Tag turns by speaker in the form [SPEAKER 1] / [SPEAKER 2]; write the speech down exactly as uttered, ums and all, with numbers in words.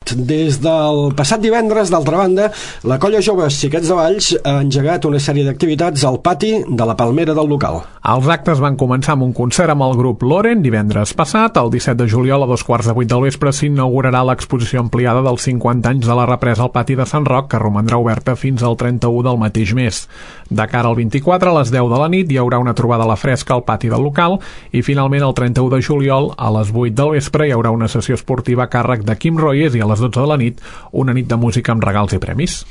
[SPEAKER 1] Esport. Des del passat divendres, d'altra banda, la colla Joves Xiquets de Valls ha engegat una sèrie d'activitats al pati de la Palmera del local.
[SPEAKER 2] Els actes van començar amb un concert amb el grup Loren divendres passat. El disset de juliol a dos quarts de vuit del vespre s'inaugurarà l'exposició ampliada dels cinquanta anys de la represa al pati de Sant Roc, que romandrà oberta fins al trenta-u del mateix mes. De cara al vint-i-quatre, a les deu de la nit, hi haurà una trobada a la fresca al pati del local i finalment el trenta-u de juliol a les vuit del vespre hi haurà una sessió esportiva a càrrec de Quim Royes i a les dotze de la nit una nit de música amb regals i premis.